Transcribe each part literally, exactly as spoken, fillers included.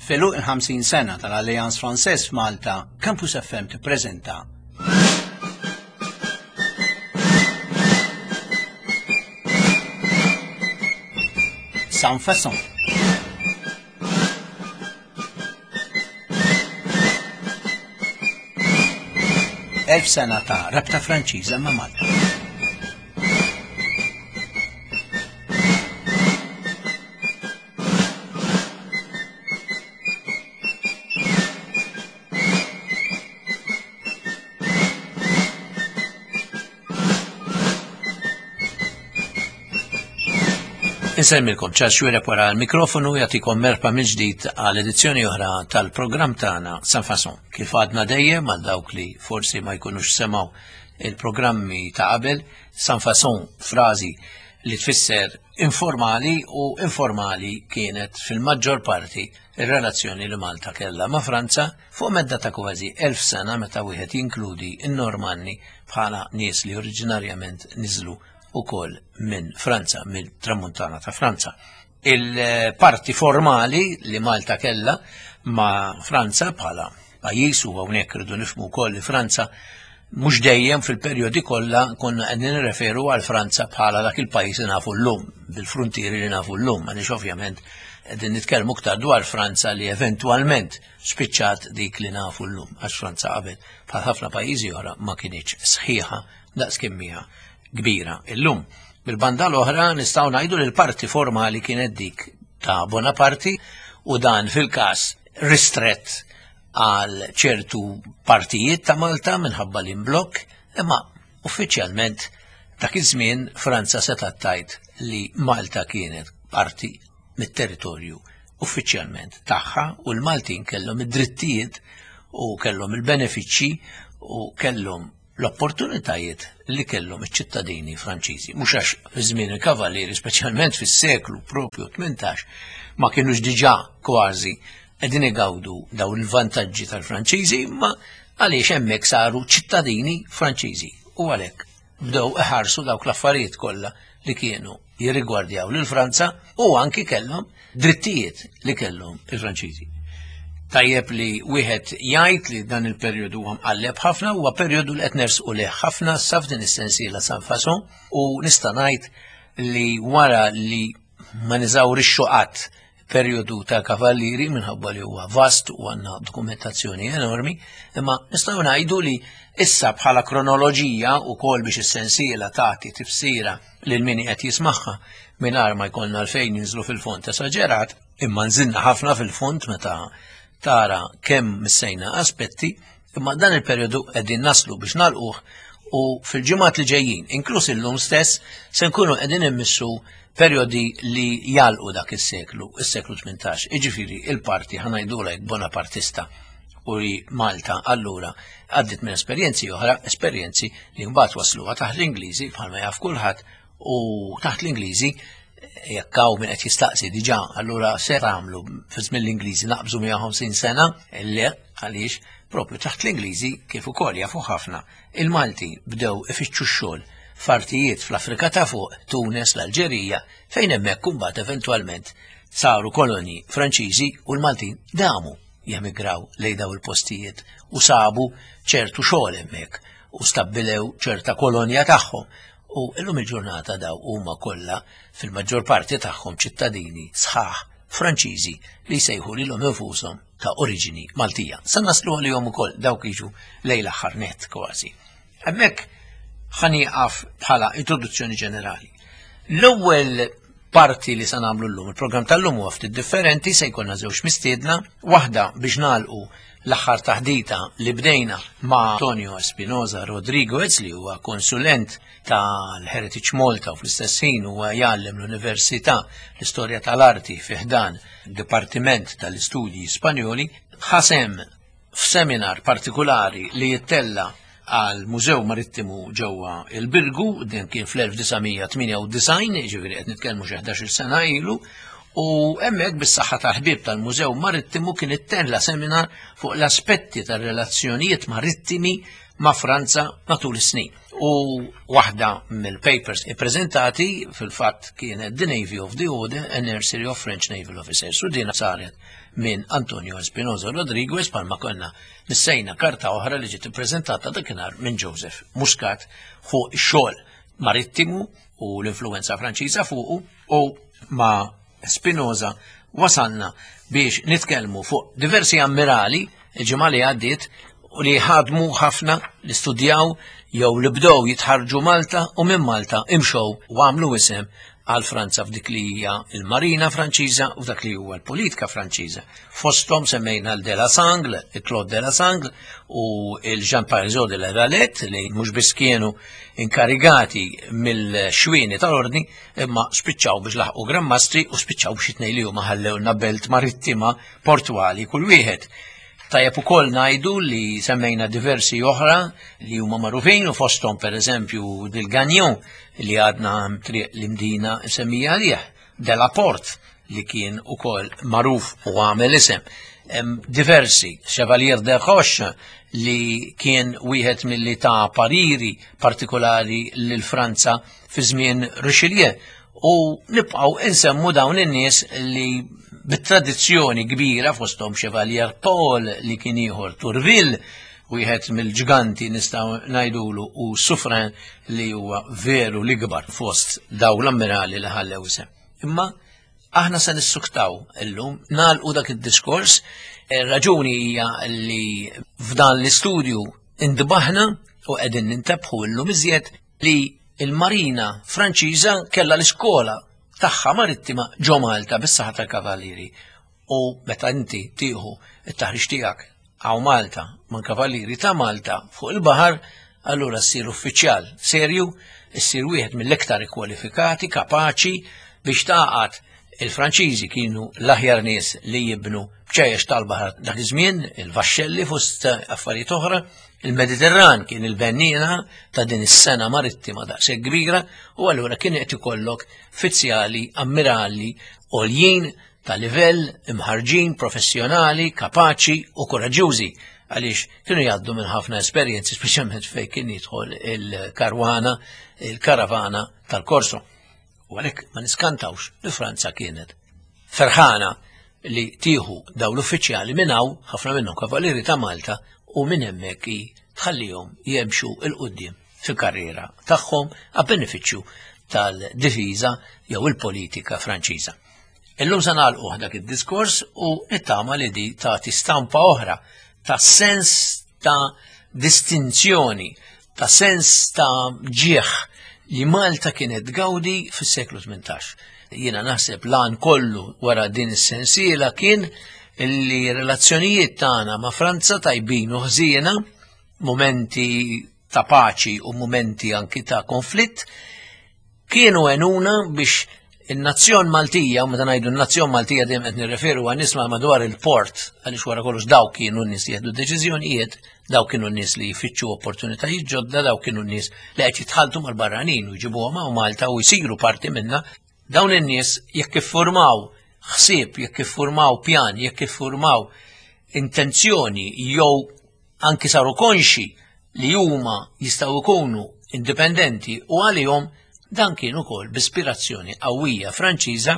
F'għeluq il-ħamsin sena tal-Alliance Française f'Malta, Campus F M tippreżenta Sans Façon. Elf sena ta' rabta Franċiża ma' Malta. Insemmilkom Charles Xuereb wara l-mikrofonu jagħtikom merħba mill-ġdid għal edizzjoni oħra tal-programm tagħna Sans Façon. Kif għadna dejjem għal dawk li forsi ma jkunux semgħu il-programmi ta' qabel, Sans Façon frażi li tfisser informali u informali kienet fil-maġġor parti ir-relazzjoni li Malta kellha ma' Franza fuq medda ta' kważi elf sena meta wieħed jinkludi n-Normanni bħala nies li oriġinarjament niżlu ukoll minn Franza, mill-tramuntana ta' Franza. Il-parti formali li Malta kellha ma' Franza bħala pajjiż, u hawnhekk irridu nifhmu wkoll li Franza mhux dejjem fil-perjodi kollha konna qegħdin nirreferu għal Franza bħala dak il-pajjiż li nafu llum, bil-fruntieri li nafu llum, għaliex ovvjament qegħdin nitkellmu aktar dwar Franza li eventwalment spiċċat dik li nafu llum, għax Franza qabel bħal ħafna pajjiżi oħra ma kinitx sħiħa daqs kemm hija kbira illum. Bil-banda l-oħra nistgħu ngħidu li l-parti formali kienet dik ta' Bonaparte u dan fil-każ ristrett għal ċertu partijiet ta' Malta minħabba l-imblokk, imma uffiċjalment dak iż-żmien Franza setgħet tgħid li Malta kienet parti mit-territorju uffiċjalment tagħha u l-Maltin kellhom id-drittijiet u kellhom il-benefiċċji u kellhom l-opportunitajiet li kellhom iċ-ċittadini Franċiżi. Mhux għax fi żmien il-Kavallieri, speċjalment fis-seklu propju tmintax, ma kienux diġà kważi qegħdin igawdu dawn il-vantaġġi tal-Franċiżi, imma għaliex hemmhekk saru ċittadini Franċiżi u għalhekk bdew iħarsu dawk l-affarijiet kollha li kienu jirrigwardjaw lil Franza u anki kellhom drittijiet li kellhom il-Franċiżi. Tajjeb li wieħed jgħid li dan il-perjodu huwa mqalleb ħafna, huwa perjodu li qed nersqu leh ħafna sa f'din is-sensiela Sans Façon, u nista' ngħid li wara li ma niżawrixxu qatt perjodu ta' Kavallieri minħabba li huwa vast u għandna dokumentazzjoni enormi, imma nistgħu ngħidu li issa bħala kronoloġija wkoll biex is-sensiela tagħti tifsira lil min qed jismagħha mingħajr ma jkollna għalfejn ninżlu fil-fond esaġerat, imma nżilna ħafna fil-fond meta tara kemm missejna aspetti, imma dan il-perjodu qegħdin naslu biex nagħlquh u fil-ġimgħat li ġejjin, inkluż illum stess, se nkunu qegħdin immissu perjodi li jalqu dak is-seklu, is-seklu tmintax, jiġifieri il-parti ħa ngħidulek Bonapartista u li Malta allura għaddit minn esperjenzi oħra, esperjenzi li mbagħad wasluha taħt l-Ingliżi bħalma jaf kulħadd, u taħt l-Ingliżi jekk hawn min qed jistaqsi diġà, allura se tagħmlu fi żmien l-Ingliżi naqbżu mija ħamsin sena? Le, għaliex propju taħt l-Ingliżi kif ukoll jafu ħafna il-Malti bdew ifittxu x-xogħol f'artijiet fl-Afrika ta' fuq, Tunis, l-Alġerija, fejn hemmhekk imbagħad eventwalment saru kolonji Franċiżi u l-Maltin damu jemigraw lejn daw il-postijiet u sabu ċertu xogħol hemmhekk u stabbilew ċerta kolonja tagħhom. U illum il-ġurnata daw huma kollha fil-maġġor parti tagħhom ċittadini sħaħ Franċiżi li jsejħu lilhom infushom ta' oriġini Maltija. Sa naslu għalihom ukoll dawk jiġu lejn l-aħħar nett kważi. Hemmhekk ħanieqaf bħala introduzzjoni ġenerali. L-ewwel parti li se nagħmlu llum, il-programm tal-lum huwa ftit differenti, se jkollna żewġ mistiedna, waħda biex nagħlqu l-aħħar taħdita li bdejna ma' Antonio Espinosa Rodriguez li huwa konsulent tal-Heritage Malta u fl-istess ħin huwa jgħallem l-Università l-Istorja tal-Arti fi ħdan Dipartiment tal-Istudji Spanjoli, ħasem f'seminar partikolari li jittella għal Mużew Marittimu ġewwa il-Birgu, din kien fl-elf disa' mija tmienja u disgħin, jiġifieri qed nitkellmu xi ħdax-il sena ilu, u hemmhekk bis-saħħa tal-ħbieb tal-Mużew Marittimu kien ittella seminar fuq l-aspetti tar-relazzjonijiet marittimi ma' Franza matul is-snin. U waħda mill-papers ippreżentati fil-fatt kienet The Navy of the Order, a Nursery of French Naval Officers, u din saret minn Antonio Espinosa Rodriguez, palma konna missejna karta oħra li ġiet ippreżentata dakinhar minn Joseph Muscat fuq ix-xogħol marittimu u l-influenza Franċiża fuqu, u ma' Espinosa wasalna biex nitkellmu fuq diversi ammirali il-ġimgħa li għaddiet u li ħadmu ħafna, li studjaw jew li bdew jitħarġu Malta u minn Malta imxew u għamlu isem għal Franza f'dik li hija il-Marina Franċiża u dak li huwa l-politika Franċiża. Fosthom semmejna l de la Sangle, il-Claude de la Sangle u il-Jean Parisot de la Valette li mhux biss kienu inkarigati mill-xwieni tal-ordni imma spiċċaw biex laħqu Gran Mastri u spiċċaw biex itnej li huma ħallewna belt marittima portwali kull wieħed. Tajjeb ukoll ngħidu li semmejna diversi oħra li huma magħrufin u fosthom pereżempju Del Gagnon li għadna triq l-Imdina semmija għalih, De la Porte li kien ukoll magħruf u għamel isem. Hemm diversi, Chevalier de Roche li kien wieħed milli ta' pariri partikolari lil Franza fi żmien Richelieu, u nibqgħu insemmu dawn in-nies li bit-tradizzjoni kbira fosthom Chevalier Paul li kien ieħor Tourville, wieħed mill-ġganti nistgħu ngħidulu, u Suffren li huwa veru l-ikbar fost dawn l-ammirali li ħallew isem. Imma aħna se nissuktaw illum nagħlqu dak id-diskors. Ir-raġuni hija li f'dan l-istudju indbaħna u qegħdin nintebħu illum iżjed li il-Marina Franċiża kellha l-iskola tagħha marittima ġo Malta bis-saħħa tal-Kavallieri. U meta inti tieħu t-taħriġ tiegħek hawn Malta ma' Kavallieri ta' Malta fuq il-baħar, allura ssir uffiċjal serju, ssir wieħed mill-iktar ikkwalifikati, kapaċi biex taqgħad. Il-Franċiżi kienu l-aħjar nies li jibnu bċejjex tal-baħar dak iż-żmien, il-vaxxelli fost affarijiet oħra. Il-Mediterran kien il-bennina ta' din is-sena marittima daqshekk kbira, u allura kien qed ikollok fizzjali, ammirali, għoljin ta' livell, imħarġin, professjonali, kapaċi u koraġġjużi, għaliex kienu jgħaddu minn ħafna esperjenzi, speċjalment fejn kien jidħol il-karwana, il-karavana tal-Korso. U għalhekk ma niskantawx li Franza kienet ferħana li tieħu dawn l-uffiċjali minn hawn, ħafna minnhom kavallieri ta' Malta, u minn hemmhekk tħallihom jemxu il quddiem fil-karriera tagħhom għal benefiċċju tal-difiża jew il-politika Franċiża. Illum se nagħlqu dak id-diskors u nittama li di tagħti stampa oħra ta' sens ta' distinzjoni, ta' sens ta' ġieħ li Malta kienet tgawdi fis-seklu tmintax. Jiena naħseb lan kollu wara din is-sensiela kien li relazzjonijiet tagħna ma' Franza tajbin u ħżiena, momenti ta' paċi u momenti anki ta' konflitt, kienu għenuna biex in-nazzjon Maltija, u meta ngħidu n-nazzjon Maltija dejjem qed nirreferu għan nies madwar il-port, għaliex wara kollox daw kienu n-nies li jieħdu deċiżjonijiet, daw kienu n-nies li jfittxu opportunitajiet ġodda, daw kienu n-nies li qed jitħalltu mal-barranin u jġibuhom hawn Malta u jsiru parti minna. Dawn in-nies jekk iffurmaw ħsieb, jekk iffurmaw pjan, jekk iffurmaw intenzjoni jew anki saru konxi li huma jistgħu jkunu indipendenti u għalihom, dan kien ukoll b'ispirazzjoni qawwija Franċiża.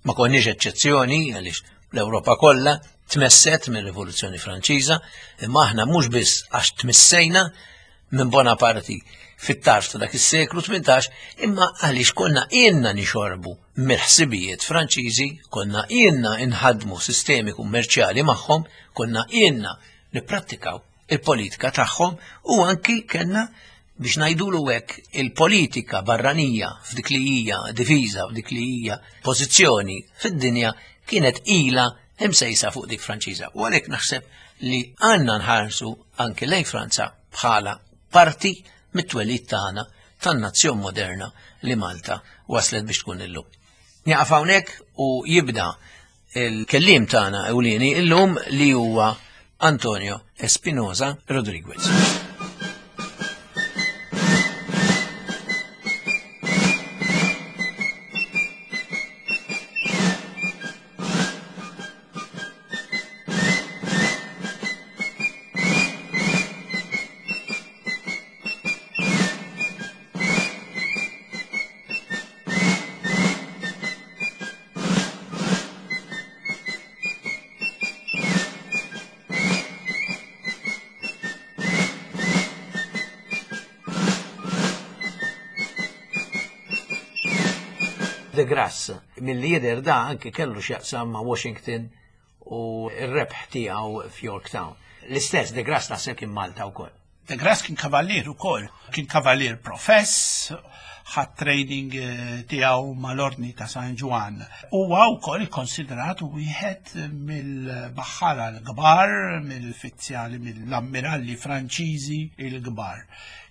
Ma konniex eċċezzjoni għaliex l-Ewropa kollha tmesset mir-Rivoluzzjoni Franċiża, imma aħna mhux biss għax tmissejna minn Bonaparte fit-tarf ta' dak is-seklu tmintax, imma għaliex konna ilna nixorbu mill-ħsibijiet Franċiżi, konna ilna nħadmu sistemi kummerċjali magħhom, konna ilna nipprattikaw il-politika tagħhom, u anki kellna biex ngħidulu hekk il-politika barranija f'dik li hija difiża, f'dik li hija pożizzjoni fid-dinja kienet ilha imsejsa fuq dik Franċiża. U għalhekk naħseb li għandna nħarsu anki lejn Franza bħala parti mit-twelid tagħna tan-nazzjon moderna li Malta waslet biex tkun illum. Nieqaf hawnhekk u jibda il-kelliem tagħna ewlieni illum li huwa Antonio Espinosa Rodriguez. De Grasse, mill-lider da anki kellu x'jaqsam ma' Washington u r-rebħ tiegħu f'Yorktown. L-istess De Grasse naħseb kien Malta wkoll. De Grasse kien kavallier ukoll, kien kavallier profess, ħa training eh, tiegħu mal-Ordni ta' San Ġwann. Huwa wkoll ikkonsidrat wieħed mill-baħħara l-kbar, mill-fizzjali, mill-ammiralli Franċiżi l-kbar.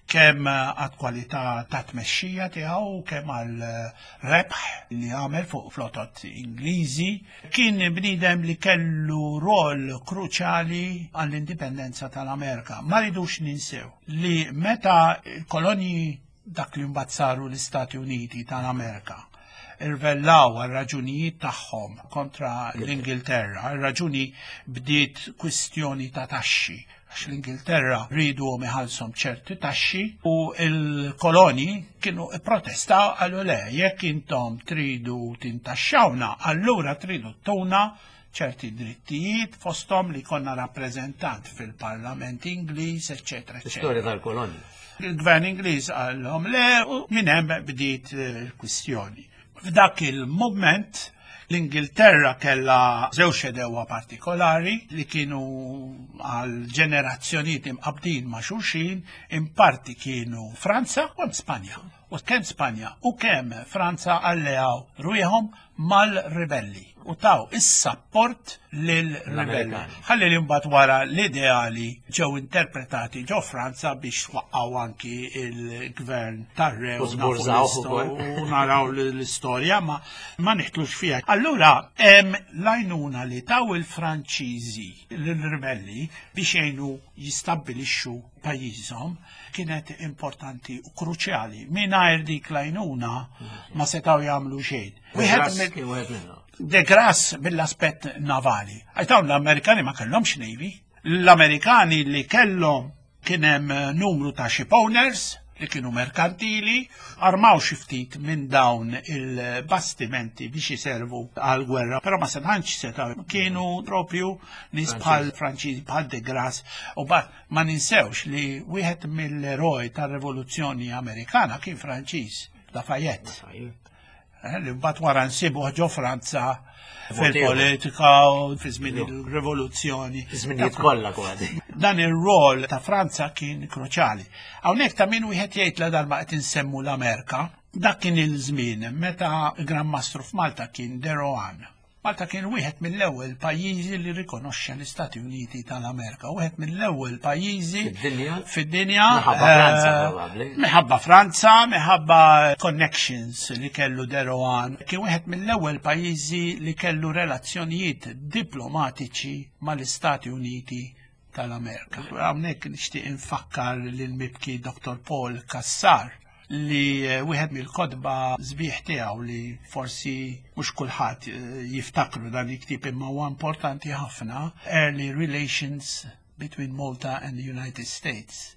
Kemm għad kwalità ta' tmexxija tiegħu, kemm għal rebħ li għamel fuq flotot Ingliżi. Kien bniedem li kellu rol kruċjali għall-indipendenza tal-Amerika. Ma ridux ninsew li meta l-kolonji dak li mbagħad saru l-Istati Uniti tal-Amerika irvellaw għal raġunijiet tagħhom kontra l-Ingilterra, ir-raġuni bdiet kwistjoni ta' taxxi, għax l-Ingilterra rridu iħallshom ċerti taxxi u l-koloni kienu protestaw, qalu le, jekk intom tridu tintaxxawna, allura tridu tuna ċerti drittijiet, fosthom li konna rappreżentant fil-Parlament Ingliż, eċċetera, eċċetera. Istorja tal-koloni. Il-gvern Ingliż qalhom le u minn hemm bdiet il-kwistjoni. F'dak il-moment l-Ingilterra kellha żewġ għedewwa partikolari li kienu għal ġenerazzjonijiet imqabdin ma' xulxin, in parti kienu Franza u Spanja. U kemm Spanja u kemm Franza alleaw ruħhom mal-ribelli u taw is-sapport lil-ribelli. Ħalli li mbagħad wara l-ideali ġew interpretati ġo Franza biex waqqaw anki il-gvern tar-re U żburżawh ukoll. u naraw l-istorja ma ma niħtlux fiha. Allura hemm l-għajnuna li taw il-Franċiżi lill-ribelli biex jgħinu jistabbilixxu pajjiżhom kienet importanti u kruċjali. Mingħajr dik l-għajnuna ma setgħu jagħmlu xejn. Wieħed mill- kien wieħed minnhom. De Grasse mill-aspett navali. Għax dawn l-Amerikani ma kellhomx navy. L-Amerikani li kellhom kien hemm numru ta' ship owners li kienu merkantili, armaw xi ftit minn dawn il-bastimenti biex jiservu għal-gwerra, però ma setgħanx setgħu kienu propju nies bħal Franċiżi, bħal De Grasse, u bat ma ninsewx li wieħed mill-eroj tar-Rivoluzzjoni Amerikana kien Franċiż, Lafayette. Eh, li mbagħad wara nsibu ġo Franza fil-politika u fi żmien il-rivoluzzjoni. Żminijiet kollha kważi. Dan ir-rol ta' Franza kien kruċjali. Hawnhekk ta' min wieħed jgħid la darba qed insemmu l-Amerika, dak kien il-żmien meta Gran Mastru f'Malta kien De Rohan. Malta kien wieħed mill-ewwel pajjiżi li rikonoxxa l-Istati Uniti tal-Amerika, wieħed mill-ewwel pajjiżi Fid-dinja? Fid-dinja. Minħabba Franza, eh, probabbli. Minħabba Franza, minħabba connections li kellu De Rohan. Kien wieħed mill-ewwel pajjiżi li kellu relazzjonijiet diplomatiċi mal-Istati Uniti tal-Amerika. Hawnhekk nixtieq infakkar lil mibki Doktor Paul Cassar li eh, wieħed mill-kotba sbieħ tiegħu li forsi mhux kulħadd eh, jiftakru dan il-ktieb imma huwa importanti ħafna, Early Relations Between Malta and the United States.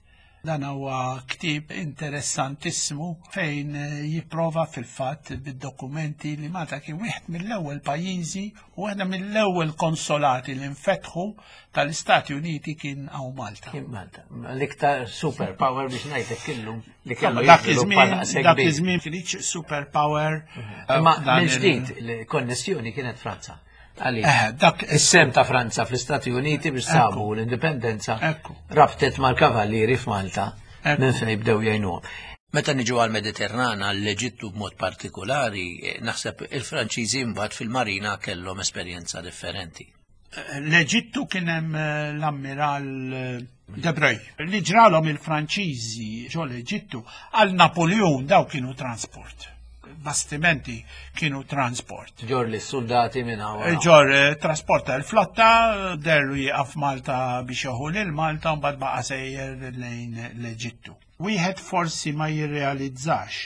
Dan huwa ktieb interessantissimu fejn eh, jipprova fil-fatt bid-dokumenti li Malta kien wieħed mill-ewwel pajjiżi u waħda mill-ewwel konsolati li nfetħu tal-Istati Uniti kien hawn Malta. Kien Malta. L-iktar super power biex ngħidlek illum li kellu Dak jiżviluppa iż-żmien daqshekk dak kbir. iż-żmien kienx super power. Imma eh, dan il- mill-ġdid il-konnessjoni kienet Franza. Għaliex? Eh, dak Is-sem ta' Franza fl-Istati Uniti biex sabu l-indipendenza Ekku. rabtet mal-kavallieri f'Malta Ekku. minn fejn bdew jgħinuhom. Meta niġu għal-Mediterran, għall-Eġittu b'mod partikolari, eh, naħseb il-Franċiżi mbagħad fil-marina kellhom esperjenza differenti. L-Eġittu kien hemm eh, l-ammiral eh, De Breuil. Li ġralhom il-Franċiżi ġo l-Eġittu għal Napoleon daw kienu transport. Bastimenti kienu transport. Ġor li s-soldati minn hawn. Ġor eh, trasporta l-flotta, derlu jieqaf Malta biex joħu lil Malta u mbagħad baqa' sejjer lejn l-Eġittu. Wieħed forsi ma jirrealizzax,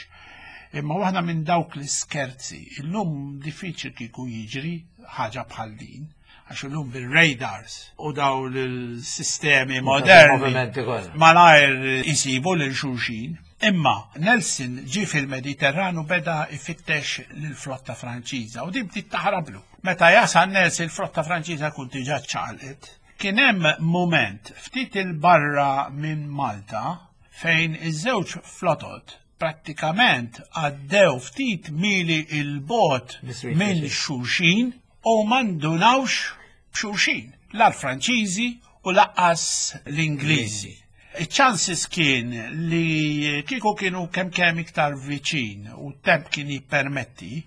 imma waħda minn dawk l-iskerzi, illum diffiċli kieku jiġri ħaġa bħal din, għax illum bil-radars u daw l-sistemi moderni movimenti kollha. malajr isibu lil xulxin. Imma Nelson ġie fil-Mediterranu beda ifittex lill-flotta Franċiża u din bdiet taħrablu. Meta jasal Nelson il-flotta Franċiża kun diġà ċaqalqet. Kien hemm moment ftit il-barra minn Malta fejn iż-żewġ flotot Prattikament għaddew ftit mili il-bogħod Biswit minn xulxin. xulxin u m'indunawx b'xulxin. La l-Franċiżi u lanqas l-Ingliżi. Il-chances kien li kieku kienu kemm kemm iktar viċin u temp kien jippermetti,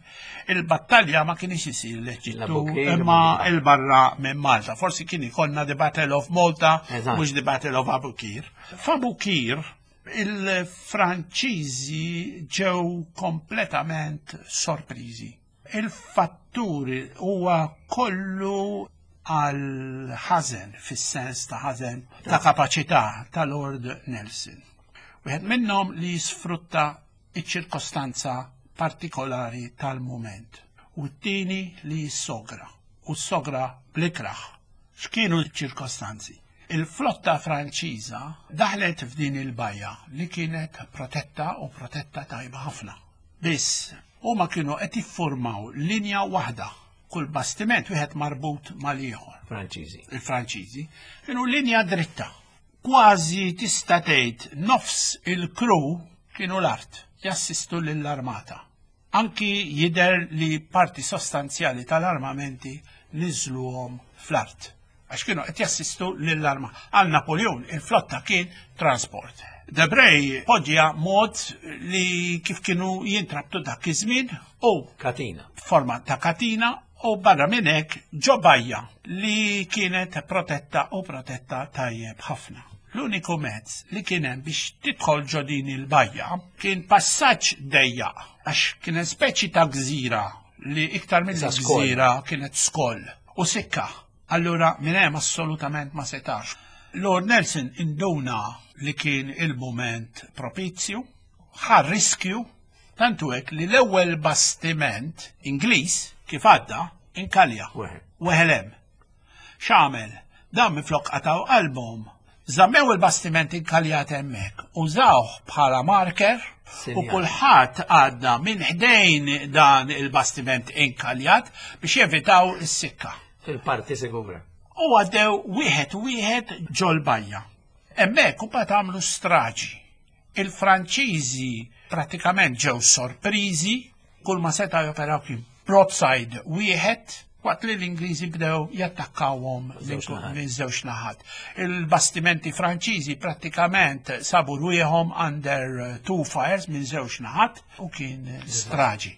il-battalja ma kienx isir l-Eġittu L-Abukir, imma ma- il-barra minn Malta. Forsi kien ikollna the Battle of Malta, Eżatt. mhux the Battle of Abukir. F'Abukir, il-Franċiżi ġew kompletament sorpriżi. Il-fatturi huwa kollu għal ħażen, fis-sens ta' ħażen ta' kapaċità ta' Lord Nelson. Wieħed minnhom li jisfrutta iċ-ċirkostanza partikolari tal-moment u t-tieni li jissogra u s-sogra bl-ikraħ. X'kienu ċ-ċirkostanzi? Il-flotta Franċiża daħlet f'din il-bajja li kienet protetta u protetta tajba ħafna. Biss, huma kienu qed jiffurmaw linja waħda, kull bastiment wieħed marbut mal-ieħor. Franċiżi. Il-Franċiżi kienu linja dritta. Kważi tista' tgħid nofs il-crew kienu l-art jassistu lill-armata. Anki jider li parti sostanzjali tal-armamenti niżluhom fl-art. Għax kienu qed jassistu lill-arma. Għal Napoleon il-flotta kien transport. Debray poġġja mod li kif kienu jintrabtu dak iż-żmien u Katina. forma ta' katina u barra minn hekk ġo bajja li kienet protetta u protetta tajjeb ħafna. L-uniku mezz li kien hemm biex tidħol ġo din il-bajja kien passaġġ dejjaq għax kienet speċi ta' gżira li iktar minn Sa skoll. gżira kienet skoll u sikka. Allura minn hemm assolutament ma setax. Lord Nelson induna li kien il-moment propizju, ħa riskju, tantu hekk li l-ewwel bastiment Ingliż kif għadda inkalja. Weħel. Weħel hemm. X'għamel? Dan minflok qataw qalbhom. Żammew il-bastiment inkaljat hemmhekk, użawh bħala marker u Sinjal. kulħadd għadda minn ħdejn dan il-bastiment inkaljat biex jevitaw is-sikka. Fil-parti sigura. U għaddew wieħed wieħed ġol-bajja. Hemmhekk u bat għamlu straġi. Il-Franċiżi pratikament ġew sorpriżi, kull ma seta' joperaw kien broadside wieħed, waqt li l-Ingliżi bdew jattakkawhom Żewġ naħat. minn żewġ naħat. Il-bastimenti Franċiżi prattikament sabu rwieħhom under uh, two fires minn żewġ naħat u kien straġi.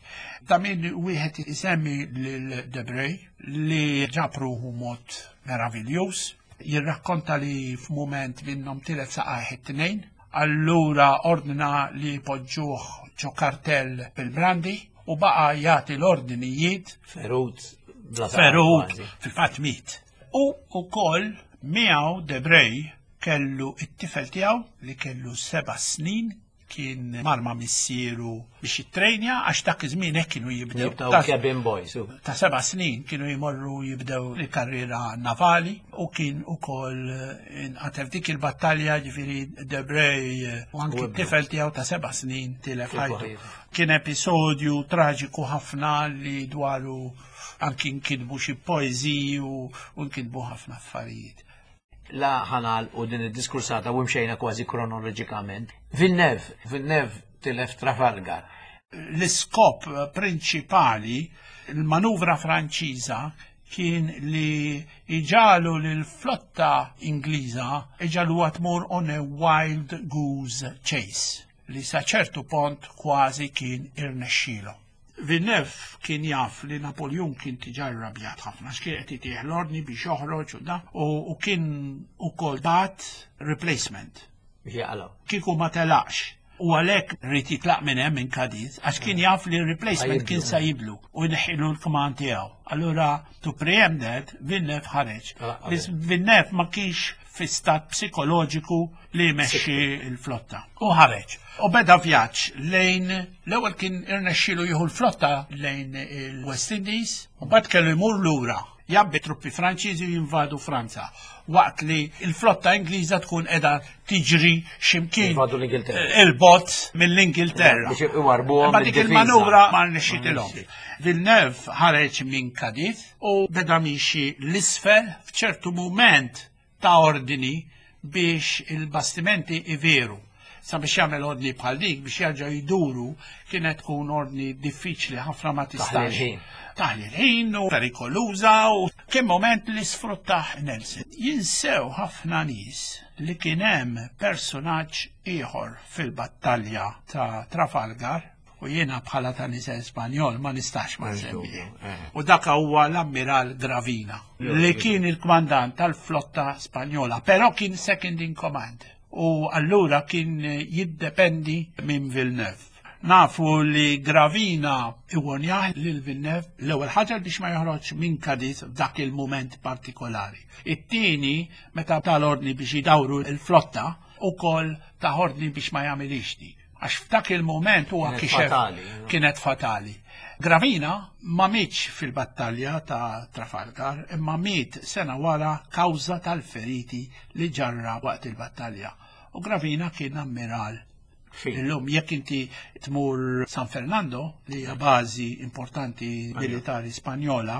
Ta' min wieħed isemmi lil Debray li ġab ruħu mod meraviljuż, jirrakkonta li f'mument minnhom tilef saqajh it-tnejn, allura ordna li poġġuh ġo kartell bil-brandi u baqa jagħti l-ordinijiet Ferut. bla saqaf ferut kważi. fil-fatt miet. U ukoll miegħu Debray kellu it-tifel tiegħu li kellu seba' snin kien mar ma' missieru biex jittrejnja għax dak iż-żmien hekk kienu jibdew. Jibdew Ta' cabin boys. u- ta' seba' snin kienu jmorru jibdew il-karriera navali u kien ukoll inqatel dik il-battalja ġifieri Debray eh, u anki U ibnu. t-tifel tiegħu ta' seba' snin tilef Tilfu ħajtu. ħajtu. Kien episodju traġiku ħafna li dwaru anki nkitbu xi poeżiji u u nkitbu ħafna affarijiet. La ħanal u din id-diskursata u mxejna kważi kronoloġikament. Villeneuve, Villeneuve tilef Trafalgar. L-iskop prinċipali, il-manuvra Franċiża kien li iġagħlu l-flotta Ingliża iġagħlu tmur on a wild goose chase li sa ċertu punt kważi kien irnexxielu. Villeneuve kien jaf li Napoleon kien diġà rrabjat ħafna, x'kien qed itih l-ordni biex joħroġ u da, u, u kien ukoll bagħat replacement Biex jaqalaw. kieku ma telaqx. U għalhekk ried jitlaq minn hemm minn Cadiz, għax kien jaf li replacement kien sa jiblu u jneħħilu l-kmand tiegħu. Allura to preempt that, Villeneuve ħareġ. Telaq qabel. Biss Villeneuve ma kienx fi stat psikoloġiku li jmexxi l-flotta. U ħareġ. U beda vjaġġ lejn l-ewwel kien irnexxielu jieħu l-flotta lejn il-West Indies, u mbagħad kellu jmur lura jgħabbi truppi Franċiżi u jinvadu Franza. Waqt li il-flotta Ingliża tkun qiegħda tiġri ximkien Jinvadu l-Ingilterra. il-bogħod mill-Ingilterra. Biex iwarbuhom Ma dik mid-difiża. il-manuvra ma rnexxitilhom. Ma rnexxiet. Villeneuve ħareġ minn Cadiz u beda miexi l-isfel f'ċertu moment ta' ordini biex il-bastimenti iveru. Sabiex jagħmel ordni bħal dik biex jerġgħu jduru kienet tkun ordni diffiċli ħafna ma tistax. Taħli l-ħin u perikoluża u kien moment li sfruttah Nelson. Jinsew ħafna nies li kien hemm personaġġ ieħor fil-battalja ta' Trafalgar u jiena bħala ta' nisel Spanjol ma nistax ma nsemmi. U dak huwa l-Ammiral Gravina li kien il-kmandant tal-flotta Spanjola, però kien second in command. U allura kien jiddependi minn Villeneuve. Nafu li Gravina iwonjaħ lil Villeneuve l-ewwel ħaġa biex ma joħroġ minn Cadiz f'dak il-mument partikolari. It-tieni meta tal-ordni biex jidawru l-flotta ukoll ta' ordni biex ma jagħmilix dik. Għax f'dak il-mument huwa kixef kienet fatali. Gravina ma mietx fil-battalja ta' Trafalgar, imma miet sena wara kawża tal-feriti li ġarra waqt il-battalja. U Gravina kien ammiral. Illum jekk inti tmur San Fernando, li hija bażi importanti militari Spanjola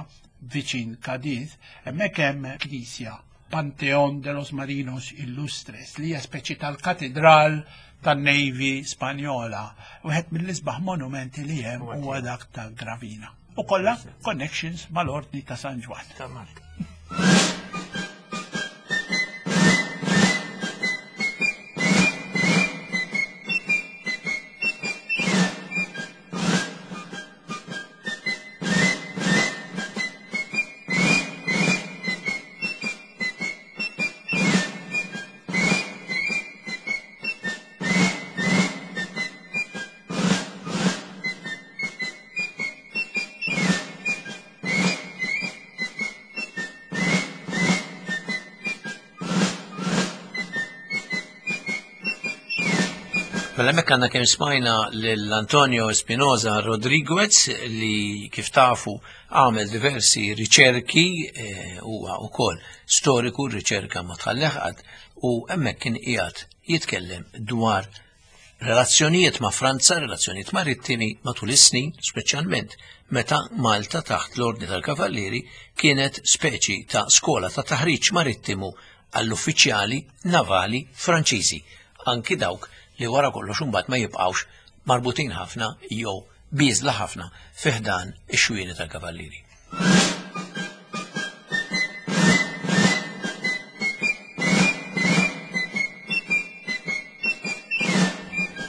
viċin Cadiz, hemmhekk hemm knisja, Panteón de los Marinos Illustres, li hija speċi tal-katedral tan-Navy Spanjola. Wieħed mill-isbaħ monumenti li hemm huwa dak ta' Gravina. U kollha connections mal-Ordni ta' San Ġwann. Mela hemmhekk għandna kemm smajna lil Antonio Espinosa Rodriguez li kif tafu għamel diversi riċerki, huwa wkoll storiku, riċerka ma tħallih qatt, u hemmhekk kien qiegħed jitkellem dwar relazzjonijiet ma' Franza, relazzjonijiet marittimi matul is-snin, speċjalment meta Malta taħt l-Ordni tal-Kavallieri kienet speċi ta' skola ta' taħriġ marittimu għall-uffiċjali navali Franċiżi, anki dawk li wara kollox imbagħad ma jibqgħux marbutin ħafna jew bieżla ħafna fi ħdan ix-xwieni tal-Kavallieri.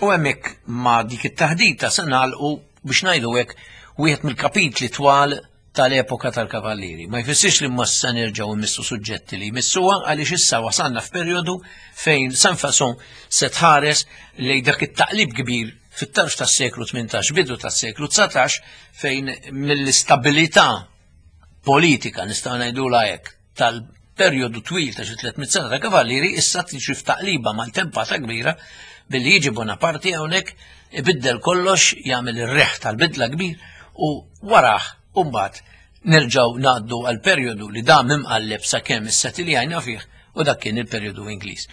U hemmhekk ma' dik it-taħdita se nagħlqu biex ngħidu hekk wieħed mill-kapitli twal tal-epoka tal-Kavallieri. Ma jfissirx li ma se nerġgħu nmissu suġġetti li jmissuha għaliex issa wasalna f'perjodu fejn San Fason se tħares lejn dak it-taqlib kbir fit-tarf tas-seklu tmintax, bidu tas-seklu dsatax, fejn mill-istabilità politika nistgħu ngħidulha hekk tal-perjodu twil ta' xi tliet mitt sena ta' Kavallieri issa tiġi f'taqliba mal-tempata kbira billi jiġi Bonaparte hawnhekk ibiddel kollox, jagħmel ir-reħ tal-bidla kbir u warah mbagħad nerġgħu ngħaddu għal perjodu li dam imqalleb sakemm is-setiljajna fih, u dak kien il-perjodu Ingliż.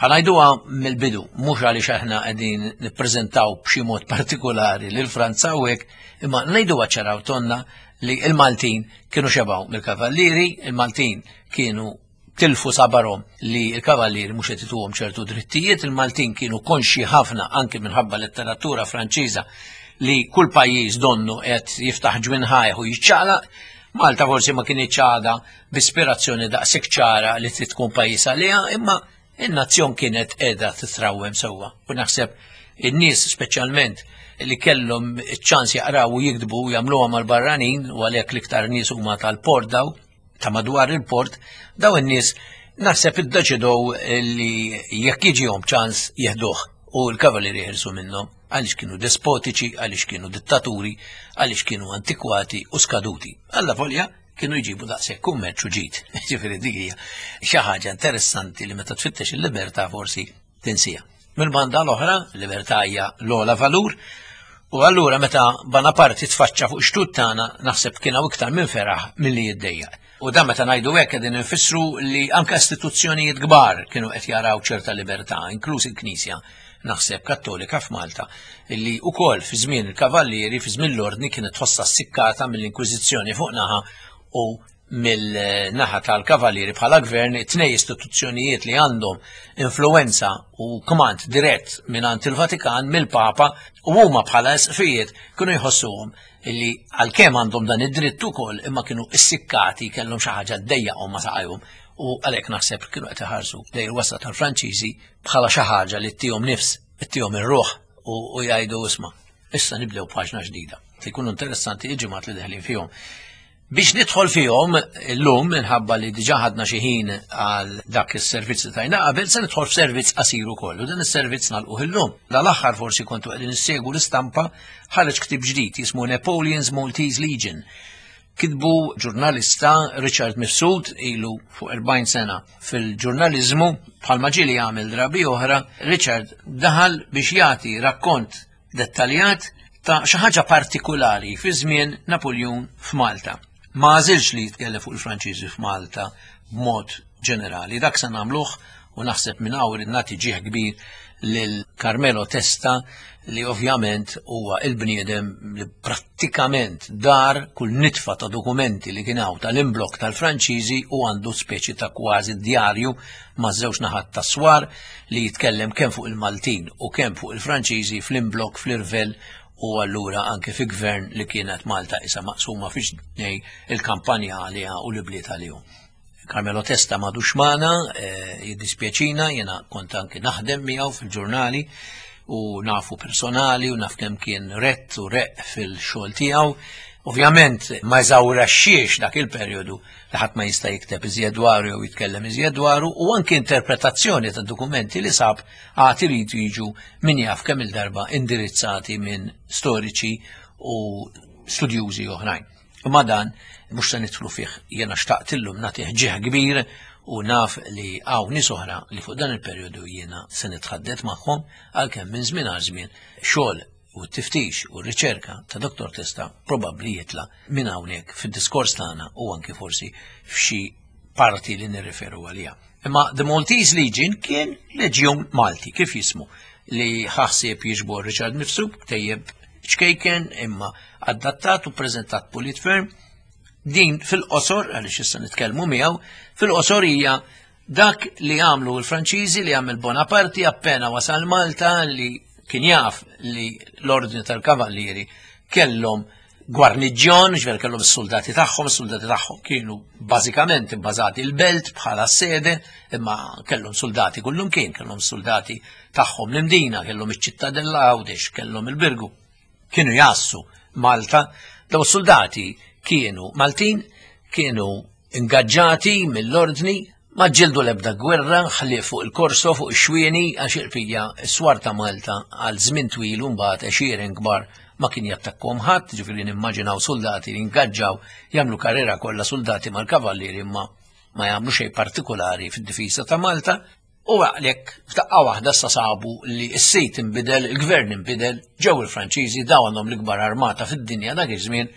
Ħanajduha mill-bidu, mhux għaliex aħna qegħdin nippreżentaw b'xi mod partikolari lil Franza u hekk, imma ngħiduha ċara u tonna li l-Maltin kienu xebgħu mill-Kavallieri, il-Maltin kienu tilfu sabarhom li l-Kavallieri mhux qed ituhom ċertu drittijiet, il-Maltin kienu konxji ħafna anki minħabba letteratura Franċiża li kull pajjiż donnu qed jiftaħ ġwinħajh u jiċċaqlaq. Malta forsi ma kienx għadha b'ispirazzjoni daqshekk ċara li trid tkun pajjiż għaliha, imma in-nazzjon kienet qiegħda titrawwem sewwa. U naħseb in-nies speċjalment li kellhom iċ-ċans jaqraw u jiktbu u jagħmluha mal-barranin, u għalhekk l-iktar nies huma tal-port daw, ta' madwar il-port, daw in-nies naħseb iddeċidew li jekk jiġihom ċans jeħduh u l-kavallieri jeħilsu minnhom, għaliex kienu despotiċi, għaliex kienu dittaturi, għaliex kienu antikwati u skaduti. Alla volja kienu jġibu daqshekk kummerċ u ġid. Ġifieri dik hija xi ħaġa interessanti li meta tfittex il-libertà forsi tinsija. Mill-banda l-oħra, l-libertà hija l-ogħla valur, u allura meta Bonaparte tfaċċa fuq xtut tagħna naħseb kien hawn iktar minn feraħ milli jiddejjaq. U dan meta ngħidu hekk qegħdin infissru li anke istituzzjonijiet kbar kienu qed jaraw ċerta libertà, inkluż il-Knisja naħseb Kattolika f'Malta, illi wkoll fi żmien il-Kavallieri, fi żmien l-Ordni kienet tħossha ssikkata mill-Inkwiżizzjoni fuq naħa u mill-naħa tal-Kavallieri bħala gvern, it-tnej istituzzjonijiet li għandhom influenza u kmand dirett mingħand il-Vatikan, mill-Papa, u huma bħala isqfijiet kienu jħossuhom illi għalkemm għandhom dan id-dritt ukoll imma kienu issikkati, kellhom xi ħaġa ddejjaqhom ma saqajhom, u għalhekk naħseb kienu qed iħarsu lejn il-wasla tal-Franċiżi bħala xi ħaġa li ttihom nifs, ttihom ir-ruħ u jgħidu isma' issa nibdew paġna ġdida. Jkunu interessanti il-ġimgħat li deħlin fihom. Biex nidħol fihom illum, minħabba li diġà ħadna xi ħin għal dak is-servizz li tajna qabel, se nidħol f'servizz qasir ukoll, u dan is-servizz nagħlquh illum. Dal-aħħar forsi kontu qegħdin issegwu l-istampa, ħareġ ktieb ġdid jismu Napoleon's Maltese Legion. Kitbu ġurnalista Richard Mifsud, ilu fuq erbgħin sena fil-ġurnaliżmu, bħalma ġieli jagħmel drabi oħra. Richard daħal biex jagħti rakkont dettaljat ta' xi ħaġa partikulari fi żmien Napoleon f'Malta. Ma għażilx li jitkellem fuq il-Franċiżi f'Malta b'mod ġenerali. Dak se nagħmluh, u naħseb minn hawn irid nagħti ġieħ kbir lil Carmelo Testa, li ovvjament huwa il-bniedem li prattikament dar kull nitfa ta' dokumenti li kien hawn tal-imblok tal-Franċiżi, u għandu speċi ta' kważi djarju ma' żewġ naħat ta' swar li jitkellem kemm fuq il-Maltin u kemm fuq il-Franċiżi fl-imblok, fl-irvell, u allura anke fi gvern li kienet Malta isa maqsuma fi ġnej il-kampanja għaliha u l-bliet għalihom. Carmelo Testa m'għadux magħna, jiddispjaċina, jiena kont anke naħdem miegħu fil-ġurnali u nafu personali u naf kemm kien rett u req fil-xogħol tiegħu. Ovvjament ma jżawraxxiex dak il-perjodu li ħadd ma jista' jikteb iżjed dwaru jew jitkellem iżjed dwaru, u anke interpretazzjoni ta' dokumenti li sab għad iridu jiġu min jaf kemm il-darba indirizzati minn storiċi u studjużi oħrajn. Imma dan mhux se nidħlu fih, jiena xtaqt illum nagħtih ġieħ kbir u naf li hawn nies oħra li fuq dan il-perjodu jiena se nitħaddet magħhom, għalkemm minn żmien għal żmien xogħol u t-tiftix u r-riċerka ta' Doktor Testa probabbli jitla' minn hawnhekk fid-diskors tagħna u anke forsi f'xi parti li nirriferu għaliha. Imma The Maltese Legion kien leġjun Malti, kif jismu, li ħassib jiġbor Richard Mifsud, tejjeb ċkejken imma adattat u preżentat pulit ferm. Din fil-qosor, għaliex issa nitkellmu miegħu, fil-qosor hija dak li għamlu l-Franċiżi, li għamel Bonaparte appena wasal Malta, li kien jaf li l-ordni tal-Kavallieri kellhom gwarniġjon, ġifier kellhom is-soldati tagħhom, is-soldati tagħhom kienu bażikament ibbażati l-belt bħala sede, imma kellhom soldati kullum kien, kellhom soldati tagħhom l-Imdina, kellhom iċ-Ċittadella Għawdex, kellhom il-Birgu. Kienu jassu Malta, daw is-soldati kienu Maltin, kienu ingaġġati mill-ordni, ma ġildu l-ebda gwerra, ħlief fuq il-Korso, fuq ix-xwieni, għax il-pija s-swar ta' Malta għal żmien twil u mbagħad għexieren kbar ma kien jattakkom ħadd, ġifieri nimmaġinaw soldati li ingaġġaw jagħmlu karriera kollha soldati mal-kavallieri imma ma jagħmlu xejn partikolari fid-difiża ta' Malta. U għalhekk f'daqqa waħda sa sabu li s-sit inbidel, il-gvern inbidel, ġew il-Franċiżi, daw għandhom l-ikbar armata fid-dinja dak iż-żmien,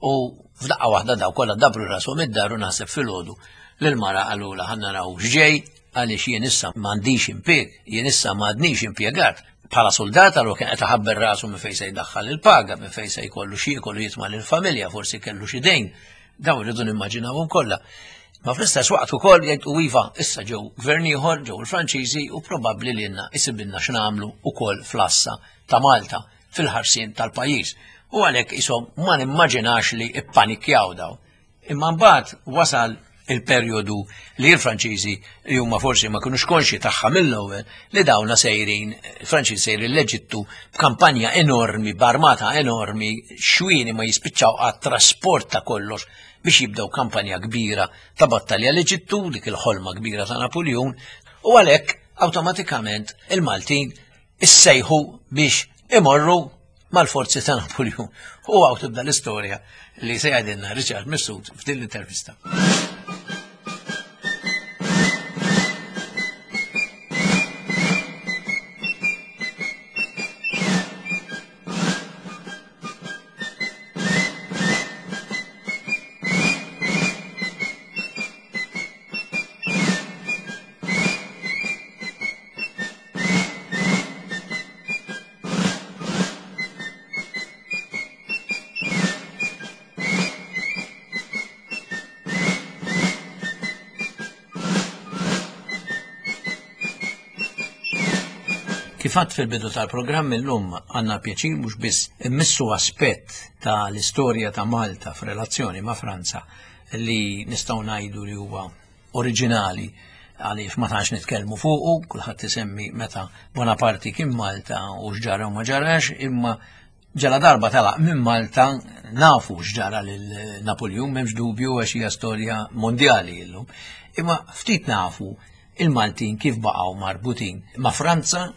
u f'daqqa waħda daw kollha dabru rashom id-dar u naħseb filgħodu lil-mara qalula ħa naraw x'ġej, għaliex jien issa m'għandix impjieg, jien issa m'għadnix impjegat. Bħala soldat allura kien qed iħabber rasu minn fejn se jdaħħal il-paga, minn fejn se jkollu xi jkollu jitma' lill-familja, forsi kellu xi dejn. Dawn irridu nimmaġinawhom kollha. Ma fl-istess waqt ukoll jgħid u iva, issa ġew gvern ieħor, ġew il-Franċiżi u probabbli lilna isibilna x'nagħmlu ukoll fl-assa ta' Malta fil-ħarsien tal-pajjiż. U għalhekk ishom ma nimmaġinax li ippanikjaw daw. Imma mbagħad wasal il-perjodu li l-Franċiżi li huma forsi ma kinux konxji tagħha mill-ewwel li dawna sejrin, il-Franċiżi sejrin l-Eġittu b'kampanja enormi, b'armata enormi, xwieni ma jispiċċaw għat trasport ta' kollox biex jibdew kampanja kbira ta' battalja l-Eġittu, dik il-ħolma kbira ta' Napoleon, u għalhekk awtomatikament il-Maltin issejħu biex imorru mal-forzi ta' Napoleon. U għaw tibda l-istorja li se jgħidilna Richard Mifsud f'din l-intervista. Kif għedt fil-bidu tal-programm, illum għandna pjaċir mhux biss immissu aspett ta' l-istorja ta' Malta f'relazzjoni ma' Franza li nistgħu ngħidu li huwa oriġinali, għaliex ma tantx nitkellmu fuqu. Kulħadd isemmi meta Bonaparte kien Malta u x'ġara u ma ġarax, imma ġala darba telaq minn Malta nafu x'ġara lil Napoleon, m'hemmx dubju, għax hija storja mondjali illum. Imma ftit nafu il-Maltin kif baqgħu marbutin ma' Franza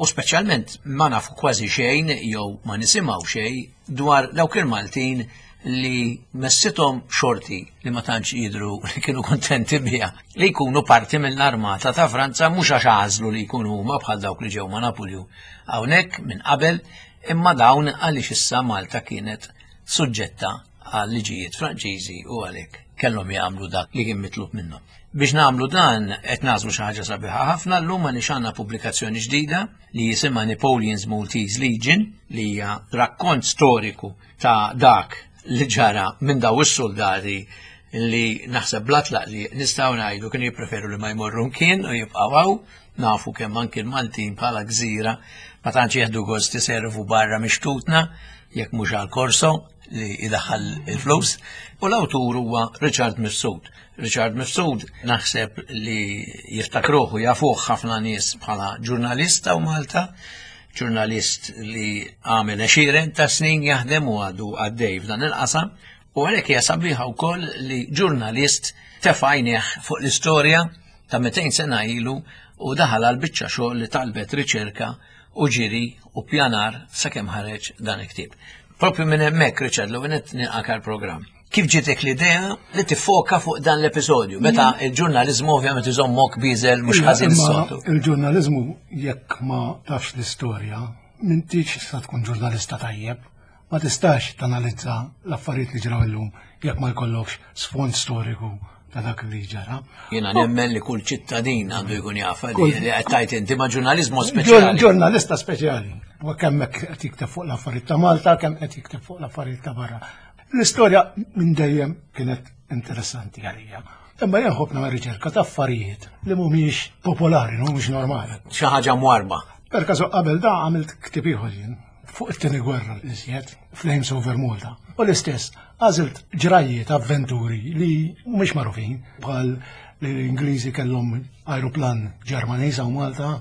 u speċjalment ma nafu kważi xejn jew ma nisimgħu xejn dwar dawk il-Maltin li messithom xorti li ma tantx jidru li kienu kontenti biha li jkunu parti mill-armata ta' Franza, mhux għax għażlu li jkunu huma bħal dawk li ġew ma' Napoleon hawnhekk minn qabel, imma dawn għaliex issa Malta kienet suġġetta għal liġijiet Franċiżi u għalhekk kellhom jagħmlu dak li kien mitlub minnhom. Biex nagħmlu dan, qed nagħżlu xi ħaġa sabiħa ħafna llum għaliex għandna pubblikazzjoni ġdida li jisimha Napoleon's Maltese Legion, li hija rakkont storiku ta' dak li ġara minn daw is-soldati li naħseb bla tlaq li nistgħu ngħidu kienu jippreferu li ma jmorru mkien u jibqgħu hawn. Nafu kemm anki l-Maltin bħala gżira ma tantx jieħdu gost iservu barra mix-xtutna jekk mhux għal korso li idaħħal il-flus. U l-awtur huwa Richard Mifsud. Richard Mifsud naħseb li jiftakruh u jafuh ħafna nies bħala ġurnalista u Malta, ġurnalist li għamel għexieren ta' snin jaħdem u għadu għaddej f'dan il-qasam, u għalhekk hija sabiħa wkoll li ġurnalist tefa' għajnejh fuq l-istorja ta' mitejn sena ilu u daħal għal biċċa xogħol li talbet riċerka u ġiri u pjanar sakemm ħareġ dan il-ktieb. Propju minn hemmhekk, Richard, l nilqak għall-programm. Kif ġietek l-idea li tiffoka fuq dan l-episodju? Meta il-ġurnalizmu ovvjament iżommok biżel mhux ħażin Imma is-soltu. Il-ġurnalizmu, jekk ma tafx l-istorja, m'intix sa tkun ġurnalista tajjeb. Ma tistax tanalizza l-affarijiet li ġraw illum jekk ma jkollokx sfond storiku ta' dak li ġara. Jiena nemmen li kull ċittadin għandu jkun jafa li Kull- li qed tgħid inti, ma' ġurnalizmu speċjali. Ġurnalista speċjali. U kemm hekk qed jikteb fuq l-affarijiet ta' Malta, kemm qed jikteb fuq l-affarijiet ta' barra. L-istorja minn dejjem kienet interessanti għalija. Imma jien nħobb nagħmel riċerka ta' affarijiet li mhumiex popolari, mhumiex normali. Xi ħaġa mwarba. Per kasu qabel da għamilt ktib ieħor jien fuq it-tieni gwerra l-iżjed, Flames over Malta. U l-istess, għażilt ġrajiet, avventuri li mhumiex magħrufin, bħal li l-Ingliżi kellhom aeroplan Ġermaniż u Malta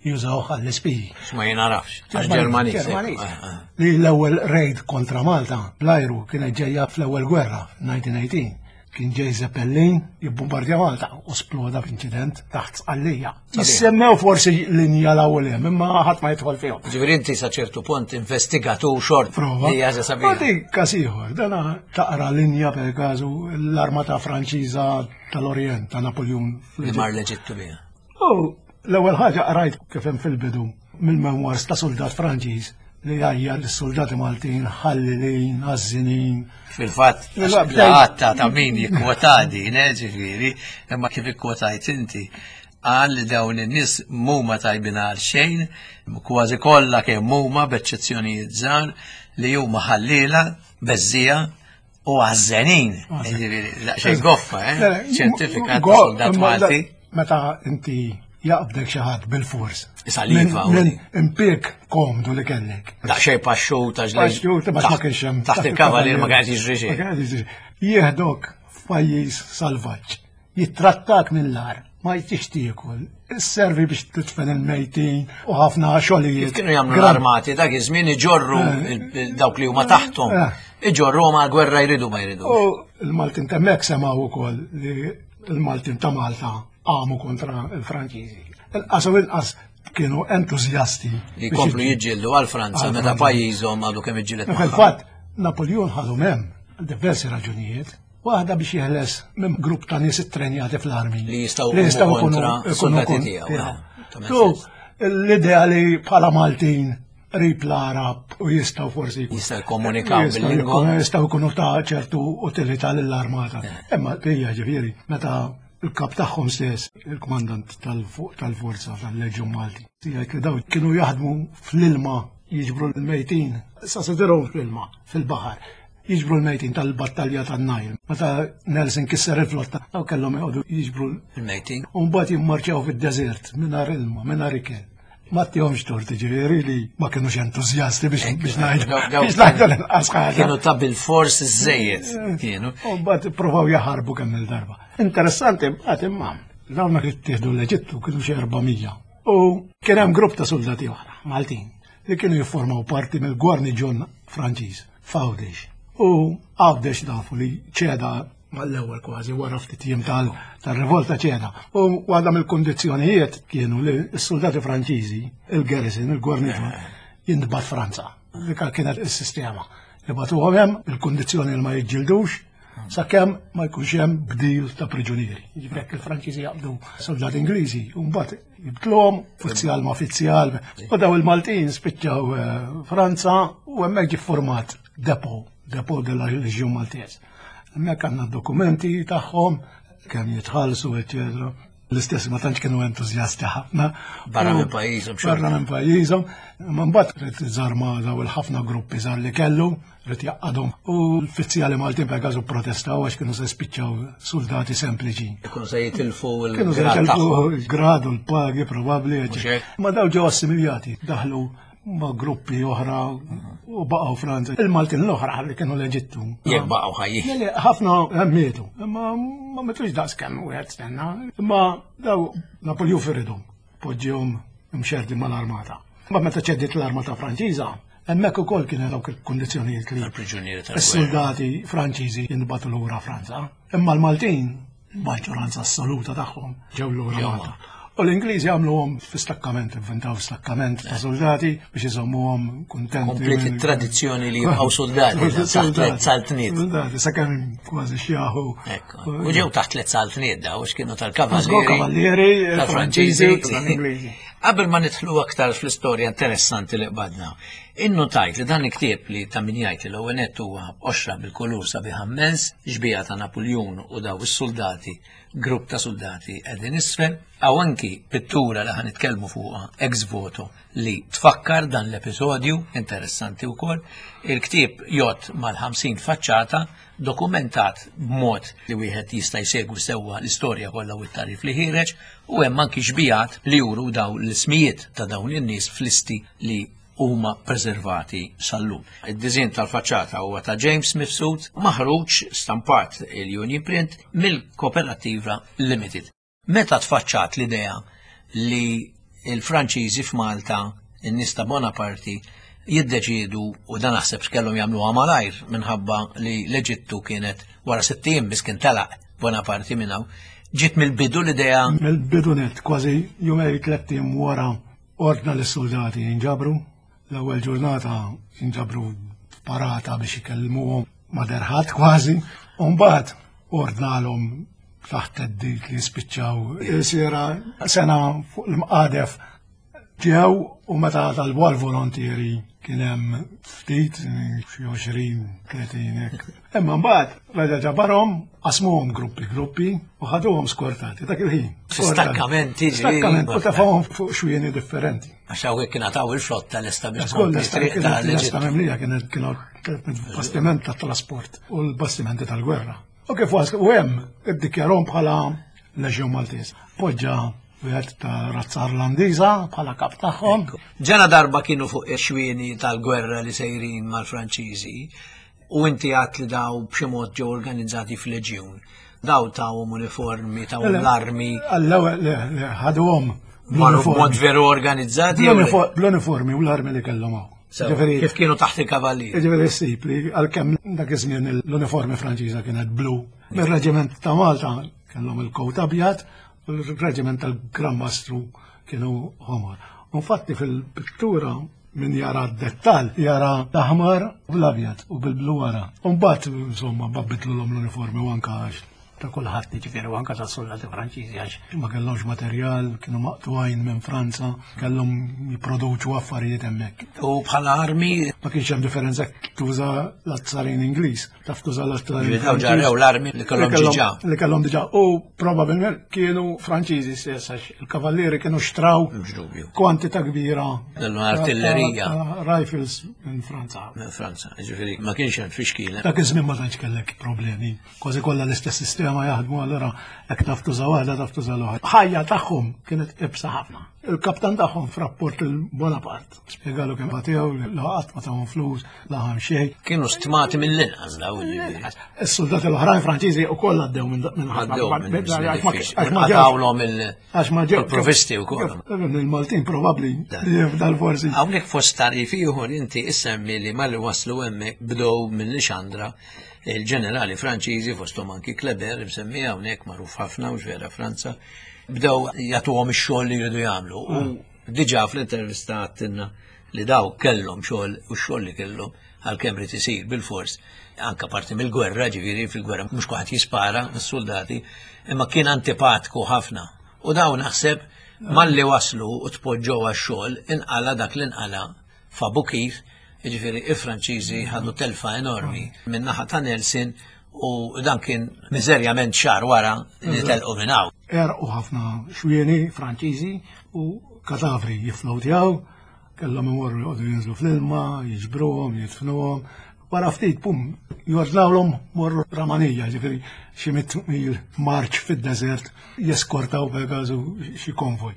jużawh għall-ispiji. Ma jenarafx. Għax Ġermaniż. Ġermaniż. Eh, eh. Li l-ewwel raid kontra Malta bl-ajru kienet ġejja fl-ewwel gwerra f'elf disa' mija u tmintax. Kien ġej Zeppelin jibbombardja Malta u sploda f'inċident taħt Sqallija. Jissemmew forsi linja l-ewwel hemm, imma ħadd ma jidħol fihom. Ġifieri inti sa ċertu punt investigatur xort. Prova. Li ħaġa sabiħa. Għadi każ ieħor, dana taqra linja per każu l-armata Franċiża tal-Orient ta' Napoleon. Li mar l-Eġittu biha. U l-ewwel ħaġa qrajt kif hemm fil-bidu mill-memoirs ta' soldat Franċiż li għajjar lis-soldati Maltin ħallilin, għażżinin. Fil-fatt, Mela, bdejt- għatta ta' min jikkwotadi, ġifieri, imma kif ikkwotajt inti, għal li dawn in-nies mhuma tajbin għal xejn, kważi kollha kemm huma b'eċċezzjonijiet żgħar, li huma ħallila, beżżija u għażżenin. Ġifieri, xejn goffa, eh? Ċertifikat ta' soldat Imma da- Malti. Meta inti jaqbdek xi ħadd bil-fors. Saliva, Minn u- impjieg komdu li kellek. Daqsxejn paxxut għax li- Paxxut, ma ma kienx hemm. Taħt il-kavalier ma kien jiġri Ma xejn. kien jiġri. Jieħdok f'pajjiż salvaġġ. Jittrattak mill-agħar, ma jtix tiekol. Isservi biex tidfen il-mejtin u ħafna xogħlijiet. Kif kienu jagħmlu Gran- l-armati dak iż-żmien, iġorru il- il- dawk li huma taħthom. Eh. Iġorru ma gwerra jridu ma jridu. U il-Maltin t'hemmhekk semgħu ukoll li il-Maltin ta' Malta għamu kontra il-Franċiżi. Il-qas u inqas kienu entużjasti. Li biex jkomplu jiġġieldu. jiġġieldu għal Franza Għal meta Franza. pajjiżhom għadu kemm iġġieled magħha. Fil-fatt, Napoleon ħadu hemm għal diversi raġunijiet. Waħda biex jeħles minn grupp ta' nies ittrenjati fl-armi. Li jistgħu li jistgħu jqumu jkunu kontra jkunu soldati kon- tiegħu, tiegħu. eh, ta' So, sens. l-idea li bħala Maltin qrib l-Arab u jistgħu forsi Jistgħu jikkomunikaw jistgħu bil-lingwa. jkunu- jistgħu jkunu ta' ċertu utilità lill-armata. Imma hija ġifieri meta il-kap tagħhom stess, il-kmandant tal-fuq tal-forza tal-Leġjun Malti, jgħid li daw kienu jaħdmu fl-ilma jiġbru l-mejtin, sa sidirhom fl-ilma, fil-baħar, jiġbru l-mejtin tal-battalja tan-Najl. Meta Nelson kisser il-flotta, daw kellhom joqogħdu jiġbru Il-mejtin. u mbagħad jimmarċjaw fid-deżert mingħajr ilma, mingħajr ikel. Ma ttihomx tort, ġifieri li ma kienux entużjasti biex biex ngħidu biex ngħidu l-inqas ħaġa. Kienu ta' bil-fors iż-żejjed kienu. U mbagħad ippruvaw jaħarbu kemm il-darba. Interessanti mbagħad imma dawn li ttieħdu l-Eġittu kienu xi erba' mija. U kien hemm grupp ta' soldati oħra Maltin li kienu jiffurmaw parti mill-gwarniġjon Franċiż f'Għawdex. U Għawdex nafu li ċeda mal-ewwel kważi wara ftit jiem tal-rivolta ċeda. U waħda mill-kundizzjonijiet kienu li s-soldati Franċiżi, il-garrison, il-gwarniġjon, jintbagħat Franza. Dik kienet is-sistema. Jibagħtuhom hemm il-kundizzjoni li ma jiġġildux sakemm ma jkunx hemm bdil ta' priġunieri. Jiġifieri jekk il-Franċiżi jaqbdu soldati Ingliżi, u mbagħad jibdluhom uffiċjal ma' uffiċjal. U daw il-Maltin spiċċaw Franza u hemmhekk ġie format depot, depot della Legion Maltese. Hemmhekk għandna dokumenti tagħhom kemm jitħallsu, eċċetera. L-istess ma tantx kienu entużjasti ħafna. Barra minn pajjiżhom. Barra minn pajjiżhom. Ma mbagħad ried żarma daw il-ħafna gruppi żgħar li kellu, ried jgħaqqadhom. U l-uffiċjali Maltin per każu protestaw għax kienu se spiċċaw soldati sempliċi. Kienu se jitilfu Kienu se l-grad jitilfu tagħhom. l-grad u l-pagi probabbli. Mhux hekk? Ma daw ġew assimilati, daħlu ma' gruppi oħra u baqgħu Franza. Il-Maltin l-oħra li kienu l-Eġittu. Jekk baqgħu ħajjin. Le, le, ħafna mietu, imma ma mitux daqs kemm wieħed stenna. Imma daw Napoleon firidhom, poġġihom imxerdi mal-armata. Ma meta ċediet l-armata Franċiża, hemmhekk ukoll kienu dawk il-kundizzjonijiet li Il-priġunieri tal-gwerra. is-soldati Franċiżi jinbagħtu lura Franza. Imma l-Maltin, maġġoranza assoluta tagħhom ġew lura Ġew Malta. U l-Ingliżi għamluhom fi stakkament, inventaw stakkament ta' soldati biex iżommuhom kuntenti. Komplet it-tradizzjoni li jibqgħu soldati taħt tliet saltniet. Soldati, sakemm kważi xjaħu. Ekku. U ġew taħt tliet saltniet daw, x'kienu Żgur tal-kavallieri. kavallieri, tal-Franċiżi. Franċiżi, tal-Ingliżi. Qabel ma nidħlu aktar fl-istorja interessanti li qbadna, innotajt li dan il-ktieb li ta' min jgħid li l-ewwel nett huwa qoxra bil-kulur sabiħ immens, xbieha ta' Napoleon u daw is-soldati, grupp ta' soldati qegħdin isfel, hawn anki pittura li ħa nitkellmu fuqha ex voto li tfakkar dan l-episodju interessanti wkoll. Il-ktieb jgħodd mal-ħamsin faċċata dokumentat b'mod li wieħed jista' jsegwi sewwa l-istorja kollha u t-tarif li ħiereġ, u hemm anki xbijat li juru daw l-ismijiet ta' dawn in-nies fl-listi li huma preservati sal-lum. Id-diżin tal-faċċata huwa ta' James Mifsud, maħruġ stampat il-Union Print mill-Kooperativa Limited. Meta tfaċċat l-idea li il-Franċiżi f'Malta, in-nies ta' Bonaparte, jiddeċidu, u dan naħseb x'kellhom jagħmluha malajr minħabba li l-Eġittu kienet wara sitt ijiem biss kien telaq Bonaparte minn hawn, ġiet mill-bidu l-idea? Mill-bidu net, kważi jumej tliet ijiem wara ordna lis-soldati jinġabru. L-ewwel ġurnata jinġabru parata biex ikellmuhom ma derħat kważi. U mbagħad ordnalhom taħt theddid li jispiċċaw sira sena fuq l-mqadef. Ġew u meta talbu għal-volontieri kien hemm ftit, xi għoxrin, tletin hekk. Imma mbagħad reġa' ġabarhom, qasmuhom gruppi gruppi u ħaduhom skortati dak il-ħin. Stakkamenti, ġifieri. Stakkamenti, u tefgħuhom fuq xwieni differenti. Għax hawnhekk kien għataw il-flotta lesta biex Żgur, tkompli lesta triq kienet ta' lesta l-Eġittu. memlija, kienet kienu bastiment ta' trasport u l-bastimenti tal-gwerra. U kif waslu u hemm iddikjarhom bħala Leġjon Maltese. Poġġa wieħed ta' razza Irlandiża bħala kap tagħhom. Ġena darba kienu fuq ix-xwieni tal-gwerra li sejrin mal-Franċiżi u inti għat li daw b'xi mod ġew organizzati f'leġjun. Daw tawhom uniformi, tawhom l-armi. Għall-ewwel le, le, ħaduhom Marru b'mod veru organizzati jew le? bl-uniformi u l-armi li kellhom hawn. Sew, Ġifieri- Kif kienu taħt il-kavallieri. Ġifieri ssib li għalkemm dak iż-żmien l-uniformi Franċiża kienet blu. Mir-reġiment ta' Malta kellhom il-kowt abjad u l-reġiment tal-Gran Mastru kienu ħomor. Infatti fil-pittura min jara d-dettal jara l-aħmar u l-abjad u bil-blu wara. Mbagħad insomma bidlu l-uniformi u anka għax ta' kulħadd jiġifieri u anka ta' soldati Franċiżi għax ma kellhomx materjal, kienu maqtugħin minn Franza, kellhom jipproduċu affarijiet hemmhekk. U bħala armi Ma kienx hemm differenza tuża l-azzarin Ingliż, taf tuża l-azzarin Ġifieri daw ġarrew l-armi li kellhom diġà. Li kellhom diġà. U probabbilment kienu Franċiżi stess għax il-kavallieri kienu xtraw Mhux dubju. kwantità kbira Kellhom artillerija. ta' rifles minn Franza. Minn Franza, ġifieri ma kienx hemm tfixkil. Dak iż-żmien ma tantx kellek problemi. Kważi kollha l-istess sistema jaħdmu allura hekk taf tuża waħda taf tuża l-oħra. Ħajja tagħhom kienet ibsa ħafna. Il-kaptan tagħhom f'rapport il-Bonaparte spjegalu kemm batew, la qatt ma tawhom flus, la ħam xejn. Kienu stmati mill-inqas daw ġifieri. Is-soldati l-oħrajn Franċiżi wkoll għaddew minn ħafna. Għadawlhom il-provvisti wkoll. Il-Maltin probabbli dal-forsi. Hawnhekk fost tarif ieħor inti issemmi li malli waslu hemmhekk bdew minn Lixandra il-ġenerali Franċiżi fosthom anki Kleber imsemmi hawnhekk magħruf ħafna u vera Franza. Bdew jagħtuhom ix-xogħol li jridu jagħmlu. U diġà fl-intervista għattilna li daw kellhom xogħol u x-xogħol li kellhom għalkemm rid isir bil-fors anke parti mill-gwerra, ġifieri fil-gwerra mhux kulħadd jispara mis-soldati, imma kien antipatku ħafna. U daw naħseb malli waslu u tpoġġew għax-xogħol inqala dak li nqala f'Abukir, jiġifieri il-Franċiżi ħadu telfa enormi min-naħa ta' Nelson u dan kien miżerjament xahar wara li telqu minn hawn. Erqu ħafna xwieni Franċiżi u katavri jifflowtjaw, kellhom imorru joqogħdu jinżlu fl-ilma, jiġbruhom, jidfnuhom. Wara ftit pum jordnawlhom morru Ramanija, ġifieri xi mitt mil marċ fid-deżert jeskortaw Pegasu xi konvoj.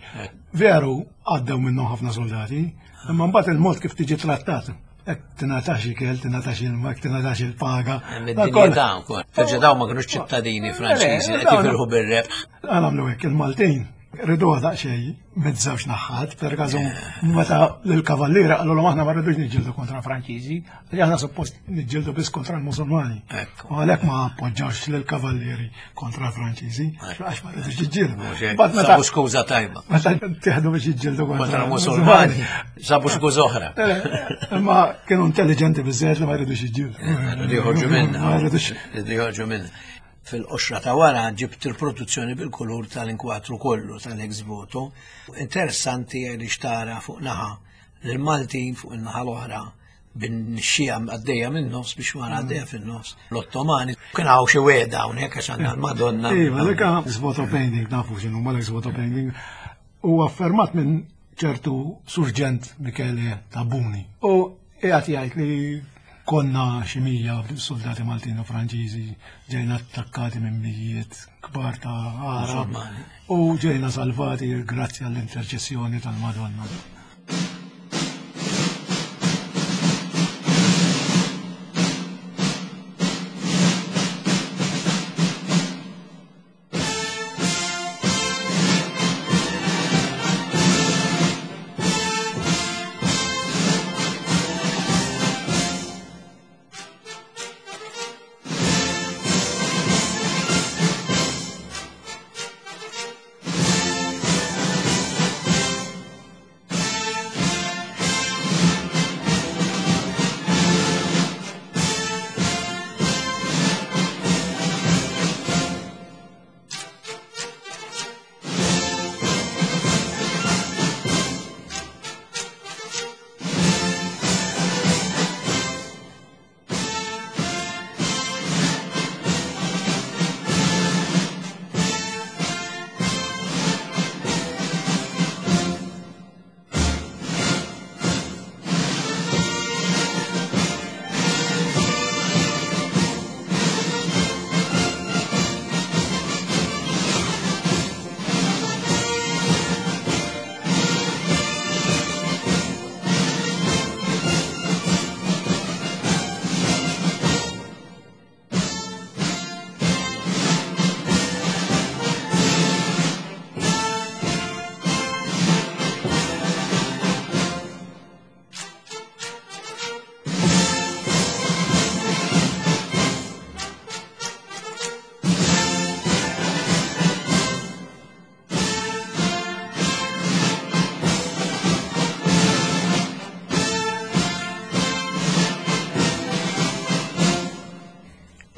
Veru għaddew minnhom ħafna soldati, imma mbagħad il-mod kif tiġi trattat. Ek tingħatax ikel, tingħatax ilma, ek tingħatax il-paga. Id-dinjità wkoll. Terġa' daw ma kinux ċittadini Franċiżi qed jifirħu bir-rebħ. Għamlu hekk il-Maltin riduha daqsxejn miż-żewġ naħat, per każu meta lill-kavalliera qalulhom aħna ma rridux niġġieldu kontra Franċiżi, li aħna suppost niġġieldu biss kontra l-Musulmani. U għalhekk ma appoġġawx lill-kavallieri kontra l-Franċiżi, għax ma rridux jiġġieldu. Sabu skuża tajba. Meta tieħdu biex jiġġieldu kontra l-Musulmani, sabu skuża oħra. Imma kienu intelligenti biżżejjed li ma rridux jiġġieldu. Rridu joħorġu minnha. Rridu joħorġu minnha. Fil-qoxra ta' wara ġibt il-produzzjoni bil-kulur tal-inkwatru kollu tal-ex voto. Interessanti li xtara fuq naħa l-Maltin fuq in-naħa l-oħra bin-xija għaddejja min-nofs biex wara għaddejja fin-nofs l-Ottomani. Kien hawn xi wegħda hawnhekk għax għandna l-Madonna. Iva, dik ex voto painting, nafu x'inhu mal-ex voto painting. Huwa affermat minn ċertu Surġent Michele Tabuni. U qiegħed jgħid li konna xi mija soldati Maltin u Franċiżi ġejna attakkati minn mijiet kbar ta' Arab u ġejna salvati grazzi għall-interċessjoni tal-Madonna.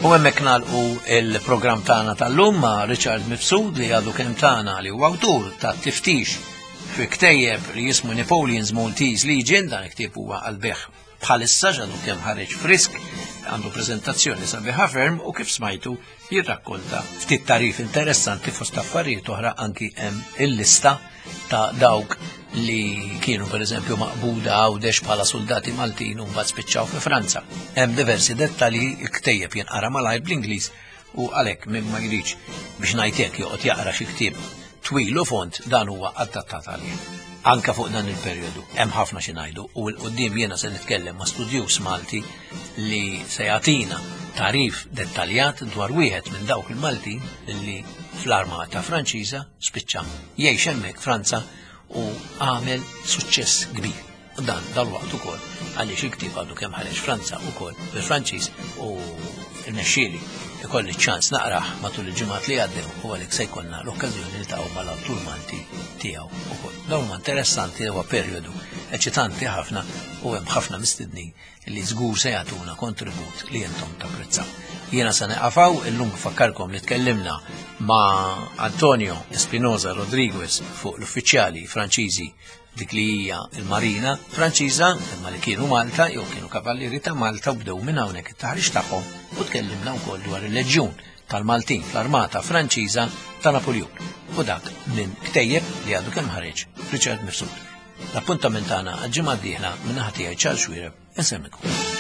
U hemmhekk nagħlqu il-programm tagħna tal-lum ma' Richard Mifsud li għadu kemm tagħna li huwa awtur ta' tiftix fi ktejjeb li jismu Napoleon's Maltese Legion. Dan il-ktieb huwa għall-bejgħ bħalissa ġadu kemm ħareġ frisk, għandu preżentazzjoni sabiħa ferm u kif smajtu jirrakkonta ftit tarif interessanti fost affarijiet oħra anki hemm il-lista ta' dawk li kienu per eżempju maqbuda Għawdex bħala soldati Maltin u mbagħad spiċċaw fi Franza. Hemm diversi dettalji, ktejjeb jinqara malajr bl-Ingliż u għalhekk min ma jridx biex ngħid hekk joqgħod jaqra xi ktieb twil u font, dan huwa adattat għalih. Anka fuq dan il-perjodu hemm ħafna xi ngħidu u 'l quddiem jiena se nitkellem ma' studjuż Malti li se jagħtina tarif dettaljat dwar wieħed minn dawk il-Maltin li fl-armata Franċiża spiċċa jgħix hemmhekk Franza u għamel suċċess kbir. U dan dal-waqt ukoll għaliex il-ktieb għadu kemm ħareġ Franza ukoll bil-Franċiż u rnexxieli ikolli ċans naqrah matul il-ġimgħat li għaddew u għalhekk se jkollna l-okkażjoni niltaqgħu mal-awtur Malti tiegħu ukoll. Dawn huma interessanti, huwa perjodu eċitanti ħafna u hemm ħafna mistednin li żgur se jagħtuna kontribut li intom tapprezzaw. Jiena se nieqaf hawn illum. Fakkarkom li tkellimna ma' Antonio Espinosa Rodriguez fuq l-uffiċjali Franċiżi, dik li hija il-Marina Franċiża, imma li kienu Malta jew kienu kavallieri ta' Malta u bdew minn hawnhekk it-taħriġ tagħhom, u tkellimna wkoll dwar il-Leġjun tal-Maltin fl-Armata Franċiża ta' Napoleon. U dak minn ktejjeb li għadu kemm ħareġ Richard Mifsud. L-appuntament tagħna għal-ġimgħa d-dieħla. Minn naħa tiegħi Charles Xuereb, insellmilkom.